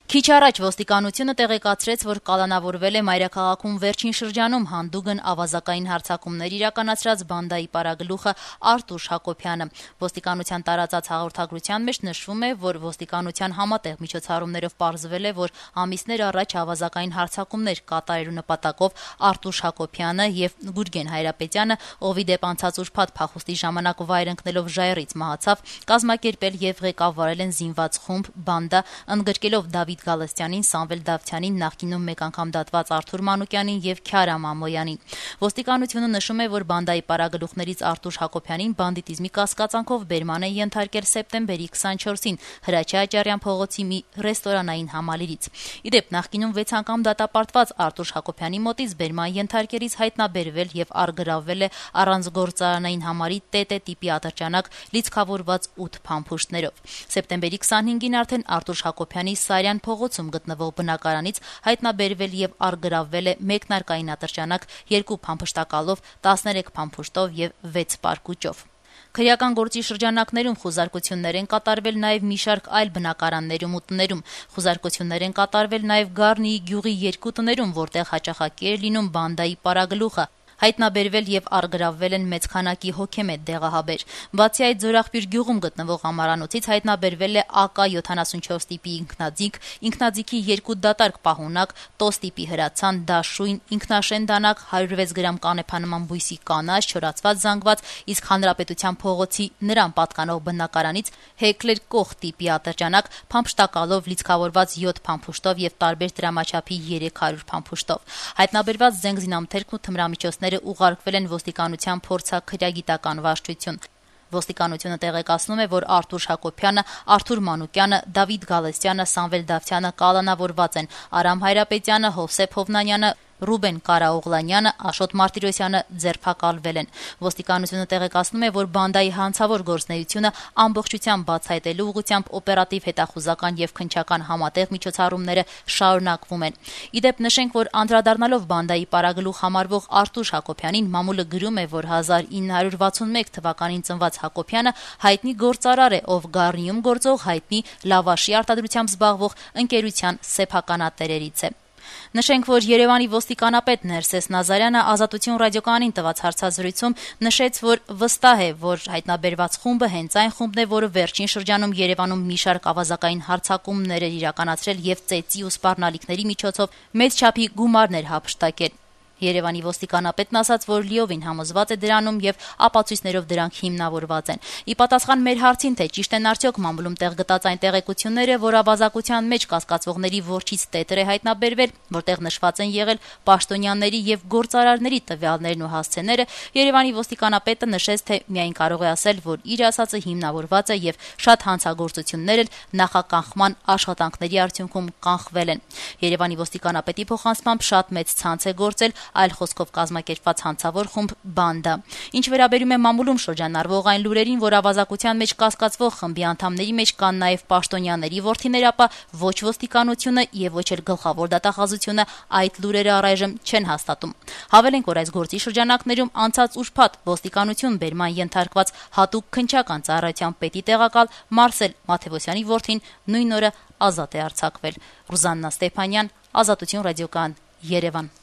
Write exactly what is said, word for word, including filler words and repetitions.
Քիչ առաջ ոստիկանությունը տեղեկացրեց, որ կալանավորվել է մայրաքաղաքում վերջին շրջանում հանդուգն ավազակային հարձակումներ իրականացրած բանդայի պարագլուխը Արտուշ Հակոբյանը։ Ոստիկանության տարածած հաղորդագրության մեջ նշվում է, որ ոստիկանության համատեղ միջոցառումներով պարզվել է, որ ամիսներ առաջ ավազակային հարձակումներ կատարելու նպատակով Արտուշ Հակոբյանը եւ Գուրգեն Հայրապետյանը, ովի դեպ անցած ուրբաթ փախուստի ժամանակ վայր ընկնելով ժայռից մահացավ, կազմակերպել եւ ղեկավարել են զինված խումբ բանդա, ընդգրկելով Դավիթ Գալստյանին, Սամվել Դավթյանին, նախկինում մեկ անգամ դատված Արթուր Մանուկյանին եւ Քյարամ Ամոյանին։ Ոստիկանությունը նշում է, որ բանդայի պարագլուխներից Արտուշ Հակոբյանին բանդիտիզմի կասկածանքով բերման է ենթարկել սեպտեմբերի քսանչորսին Հրաչյա Աճարյան փողոցի մի ռեստորանային համալիրից։ Իդեպ նախկինում վեց անգամ դատապարտված Արտուշ Հակոբյանի մոտից բերման ենթարկելիս հայտնաբերվել եւ արգրավվել է առանց գործարանային համարի ՏՏ տիպի ատրճանակ լիցքավորված ութ փամփուշտներով։ Սեպտեմբերի քսանհինգին արդեն Արտուշ Հակոբյանի Սարյան փողոցում գտնվող բնակարանից հայտնաբերվել եւ արգրավվել է մեկնարկային ատրճանակ երկու փամփշտակալով, տասներեք փամփուշտով եւ վեց պարկուճով։ Քրեական գործի շրջանակներում խուզարկություններ են կատարվել նաև մի շարք այլ բնակարաններում ու տներում։ Խուզարկություններ են կատարվել նաև Գառնիի գյուղի երկու տներում, որտեղ հաճախակի է լինում բանդայի պարագլուխը։ Հայտնաբերվել եւ արգրավվել են մեծ քանակի հոգեմետ դեղահաբեր։ Բացի այդ, Ձորախբյուր գյուղում գտնվող ամարանոցից հայտնաբերվել է ԱԿ յոթանասունչորս տիպի ինքնաձիգ, ինքնաձիգի երկու դատարկ պահունակ, տոս տիպի հրացան, դաշույն, ինքնաշեն դանակ, հարյուր վեց գրամ կանեփանման բույսի կանաչ, չորացված զանգված, իսկ Հանրապետության փողոցի նրան պատկանող բնակարանից Հեկլեր կող տիպի ատրճանակ, փամփշտակալով լիցքավորված յոթ փամփուշտով եւ տարբեր դրամաչափի երեք հարյուր փամփուշտով։ Հայտնաբերված զենք զինամթերքն ու թմրամիջոցները ուղարկվել են ոստիկանության փորձաքրեագիտական վարչություն։ Ոստիկանությունը տեղեկացնում է, որ Արտուշ Հակոբյանը, Արթուր Մանուկյանը, Դավիթ Գալստյանը, Սամվել Դավթյանը կալանավորված են, Արամ Հայրապետյանը, Հովսեփ Հովնանյանը, Ռուբեն Կարաօղլանյանը, Աշոտ Մարտիրոսյանը ձերբակալվել են։ Ոստիկանությունը տեղեկացնում է, որ բանդայի հանցավոր գործունեությունը ամբողջությամբ բացահայտելու ուղղությամբ օպերատիվ հետախուզական եւ քննչական համատեղ միջոցառումները շարունակվում են։ Իդեպ նշենք, որ անդրադառնալով բանդայի պարագլուխ համարվող Արտուշ Հակոբյանին, մամուլը գրում է, որ հազար ինը հարյուր վաթսունմեկ թվականին ծնված Հակոբյանը հայտնի գործարար է, ով Գառնիում գործող հայտնի լավաշի արտադրությամբ զբաղվող ընկերության սեփականատերերից է։ Նշենք, որ Երևանի ոստիկանապետ Ներսես Նազարյանը Ազատություն ռադիոկայանին տված հարցազրույցում նշեց, որ վստահ է, որ հայտնաբերված խումբը հենց այն խումբն է, որը վերջին շրջանում Երևանում մի շարք ավազակային հարձակումներ էր իրականացրել եւ ծեծի ու սպառնալիքների միջոցով մեծ չափի գումարներ հափշտակել։ Երևանի ոստիկանապետն ասաց, որ լիովին համոզված է դրանում եւ ապացույցներով դրանք հիմնավորված են։ Ի պատասխան մեր հարցին, թե ճիշտ են արդյոք մամուլում տեղ գտած այն տեղեկությունները, որ ավազակության մեջ կասկածվողների որջից տետր է հայտնաբերվել, որտեղ նշված են եղել պաշտոնյաների եւ գործարարների տվյալներն ու հասցեները, Երևանի ոստիկանապետը նշեց, թե միայն կարող է ասել, որ իր ասածը հիմնավորված է եւ շատ հանցագործություններ էլ նախականխման աշխատանքների արդյունքում կանխվել են։ Երևանի ոստիկանապետի փոխանցմամբ շատ մեծ ցանց է գործել, այլ խոսքով կազմակերպված հանցավոր խումբ բանդա։ Ինչ վերաբերում է մամուլում շրջանառվող այն լուրերին, որ ավազակության մեջ կասկածվող խմբի անդամների մեջ կան նաև պաշտոնյաների որդիներ, ապա ոչ ոստիկանությունը եւ ոչ էլ գլխավոր դատախազությունը այդ լուրերը առայժմ չեն հաստատում։ Հավելենք, որ այս գործի շրջանակներում անցած ուրբաթ ոստիկանություն բերման ենթարկված հատուկ քննչական ծառայության պետի տեղակալ Մարսել Մաթեոսյանի որդին նույն օրը ազատ է արձակվել։ Ռուզաննա Ստեփանյան, Ազատություն ռադիոկայան, Երևան։